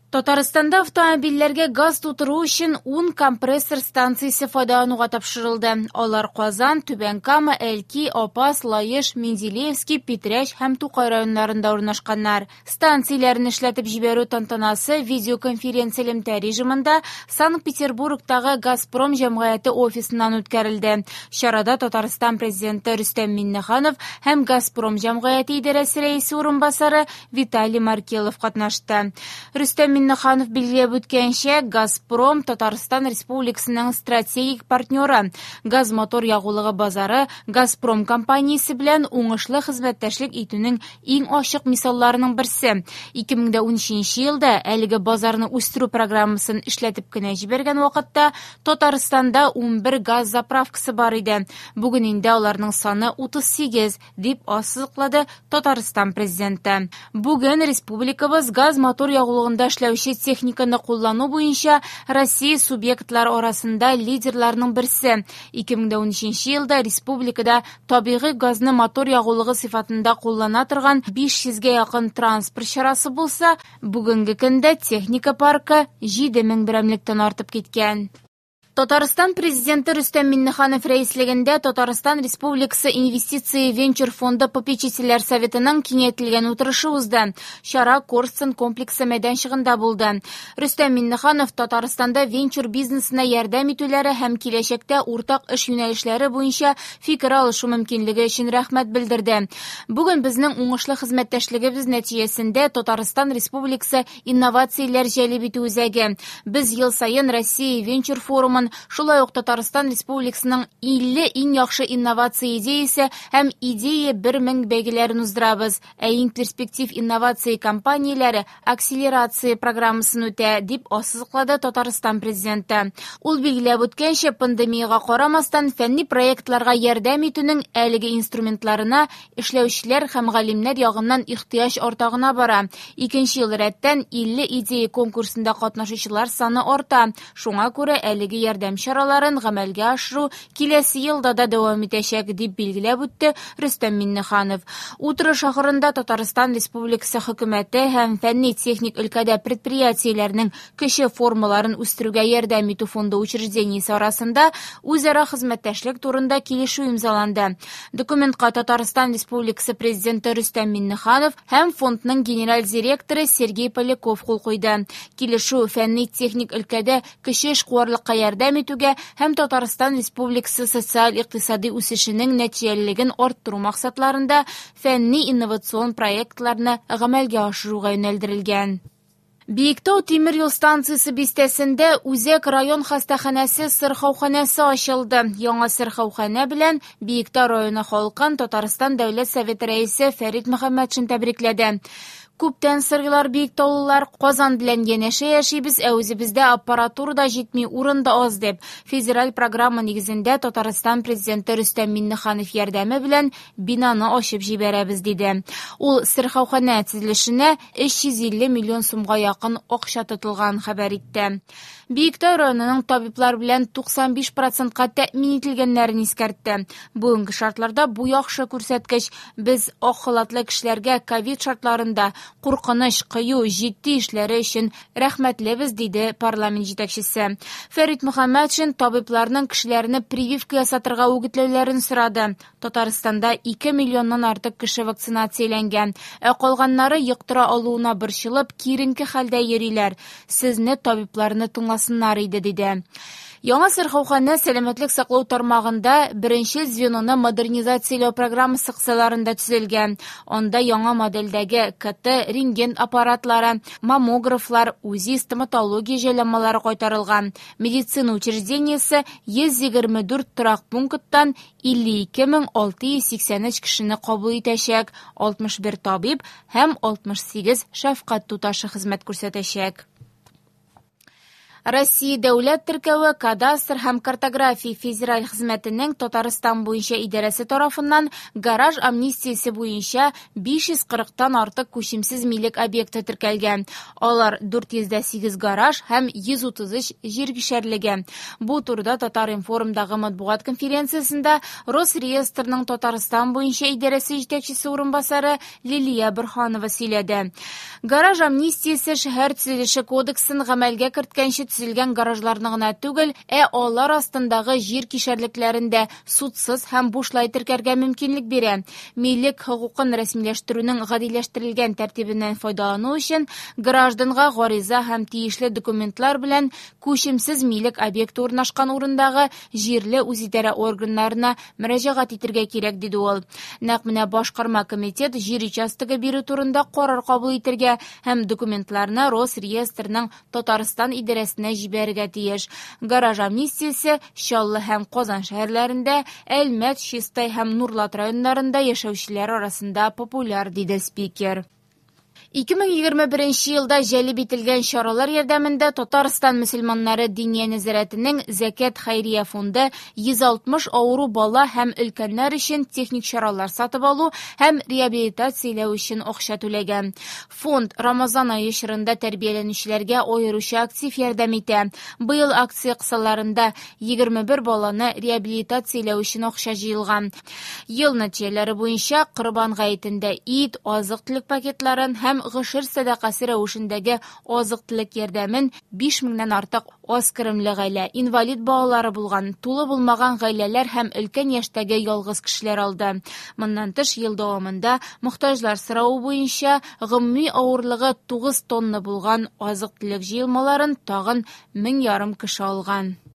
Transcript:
Татарстанда автомобильләргә газ тутыру өчен 10 компрессор станциясе файдалануга тапшырылды. Алар Казан, Түбән Кама, Әлки, Апас, Лаеш, Менделеевский, Питрәч һәм Тукай районнарында урнашканнар. Станцияләрне эшләтеп җибәрү тантанасы видеоконференц-элемтә режимында Санкт-Петербургтагы «Газпром» җәмгыяте офисыннан үткәрелде. Чарада Татарстан Президенты Рөстәм Миңнеханов һәм «Газпром» җәмгыяте идарәсе рәисе урынбасары Виталий Маркелов катнашты. Рөстәм Миңнеханов билгеләп үткәнчә, «Газпром» Татарстан Республикасының стратегик партнеры. Газ-мотор ягулыгы базары «Газпром» компаниясе белән уңышлы хезмәттәшлек итүнең иң ачык мисалларының берсе. 2013 елда әлеге базарны үстерү программасын эшләтеп кенә җибәргән вакытта Татарстанда 11 газ заправкасы бар иде. Бүген инде аларның саны 38, дип ассызыклады Татарстан Президенты. Бүген республикабыз газ-мотор ягулыгында эшләүче техниканы куллану буенча Россия субъектлары арасында лидерларның берсе. 2013 елда республикада табигый газны мотор ягулыгы сыйфатында куллана торган 500 гә якын транспорт чарасы булса, бүгенге көндә техника паркы 7000 берәмлектән артып киткән. Татарстан Президенты Рөстәм Миңнеханов рәислегендә Татарстан Республикасы Инвестиция венчур фонды попечительләр советының киңәйтелгән утырышы узды. Чара Корстон комплексы мәйданчыгында булды. Рөстәм Миңнеханов Татарстанда венчур бизнесына ярдәм итүләре һәм киләчәктә уртак эш юнәлешләре буенча фикер алышу мөмкинлеге өчен рәхмәт белдерде. Бүген безнең уңышлы хезмәттәшлегебез нәтиҗәсендә Татарстан Республикасы инновацияләр җәлеп итү үзәге. Без ел саен Россия венчур форумын, шулай ук Татарстан Республикасының 50 иң яхшы инновация идеясе һәм идея 1000 бәйгеләрен уздырабыз. Ә иң перспектив инновация компанияләре акселерация программасын үтә, дип ассызыклады Татарстан Президенты. Ул билгеләп үткәнчә, пандемиягә карамастан, фәнни проектларга ярдәм итүнең әлеге инструментларына эшләүчеләр һәм галимнәр ягыннан ихтыяҗ арта гына бара. Икенче ел рәттән 50 идея конкурсында катнашучылар саны арта. Шуңа күрә әлеге ярдәм чараларын гамәлгә ашыру киләсе елда да дәвам итәчәк, дип билгеләп үтте Рөстәм Миңнеханов. Утырыш ахырында Татарстан Республикасы хөкүмәте һәм фәнни-техник өлкәдә предприятиеләрнең кече формаларын үстерүгә ярдәм итү фонды учреждениесе арасында үзара хезмәттәшлек турында килешү имзаланды. Документка Татарстан Республикасы Президенты Рөстәм Миңнеханов һәм фондның генераль директоры Сергей Поляков кул куйды. Килешү фәнни-техник өлкәдә кече эшкуарлыкка ярдәм итүгә һәм Татарстан Республикасы социаль-икътисади үсешенең нәтиҗәлелеген арттыру максатларында фәнни-инновацион проектларны гамәлгә ашыруга юнәлдерелгән. Биектау тимер юл станциясе бистәсендә Үзәк район хастаханәсе сырхауханәсе ачылды. Яңа сырхауханә белән Биектау районы халкын Татарстан Дәүләт Советы рәисе Фәрит Мөхәммәтшин тәбрикләде. Күптән сыргылар биектаулылар, Казан белән янәшә яшибез, ә үзебездә аппаратура да җитми, урын да аз дип. Федераль программа нигезендә Татарстан Президенты Рөстәм Миңнеханов ярдәме белән бинаны ачып җибәрәбез, диде. Ул сырхауханә төзелешенә 350 миллион сумга якын акча тотылган хәбәр итте. Биектау районының табиблар белән 95%-ка тәэмин ителгәннәрен искәртте. Бүгенге шартларда бу яхшы күрсәткеч. Без ак халатлы кешеләргә ковид шартларында куркыныч, кыю, җитди эшләре өчен рәхмәтлебез, диде парламент җитәкчесе. Фәрит Мөхәммәтшин табибларның кешеләрне прививка ясатырга үгетләүләрен сорады. Татарстанда 2 миллионнан артык кеше вакцинацияләнгән, ә калганнары йоктыра алуына борчылып, киеренке хәлдә йөриләр. Сезне табибларны тыңласыннар иде, диде. Яңа сырхауханә сәламәтлек саклау тармагында беренче звеноны модернизацияләү программасы кысаларында төзелгән. Анда яңа модельдәге КТ, рентген аппаратлары, маммографлар, УЗИ, стоматология җайланмалары кайтарылган. Медицина учреждениесе 124 торак пункттан 52683 кешене кабул итәчәк, 61 табиб һәм 68 шәфкать туташы хезмәт күрсәтәчәк. Россия дәүләт теркәве, кадастр һәм картография федераль хезмәтенең Татарстан буенча идарәсе тарафыннан гараж амнистиясе буенча 540-тан артык күчемсез милек объекты теркәлгән. Алар 408 гараж һәм 133 җир кишәрлеге. Бу турыда Татар-информдагы матбугат конференциясендә Росреестрның Татарстан буенча идарәсе җитәкчесе урынбасары Лилия Борһанова сөйләде. Гараж амнистиясе шәһәр төзелеше кодексын гамәлгә керткәнче төзелгән гаражларны гына түгел, ә алар астындагы җир кишәрлекләрен дә судсыз һәм бушлай теркәргә мөмкинлек бирә. Милек хокукын рәсмиләштерүнең гадиләштерелгән тәртибеннән файдалану өчен гражданга гариза һәм тиешле документлар белән күчемсез милек объекты урнашкан урындагы җирле үзидарә органнарына мөрәҗәгать итәргә кирәк, диде ул. Нәкъ менә башкарма комитет җир участогы бирү турында карар кабул итәргә һәм документларны Росреестрның Татарстан идарәсенә җибәрергә тиеш. Гараж амнистиясе Чаллы һәм Казан шәһәрләрендә, Әлмәт, Чистай һәм Нурлат районнарында яшәүчеләр арасында популяр, диде спикер. 2021 елда җәлеп ителгән чаралар ярдәмендә Татарстан мөселманнары Диния нәзарәтенең Зәкят хәйрия фонды 160 авыру бала һәм өлкәннәр өчен техник чаралар сатып алу һәм реабилитацияләү өчен акча түләгән. Фонд Рамазан ае чорында тәрбияләнүчеләргә аеруча актив ярдәм итә. Быел акция кысаларында 21 баланы реабилитацияләү өчен акча җыелган. Ел нәтиҗәләре буенча Корбан гаетендә ит, азык-төлек пакетларын һәм гошер сәдакасы рәвешендәге азык-төлек ярдәмен 5 меңнән артык аз керемле гаилә, инвалид балалары булган, тулы булмаган гаиләләр һәм өлкән яшьтәге ялгыз кешеләр алды. Моннан тыш, ел дәвамында мохтаҗлар соравы буенча гомуми авырлыгы 9 тонна булган азык-төлек җыелмаларын тагын 1500 кеше алган.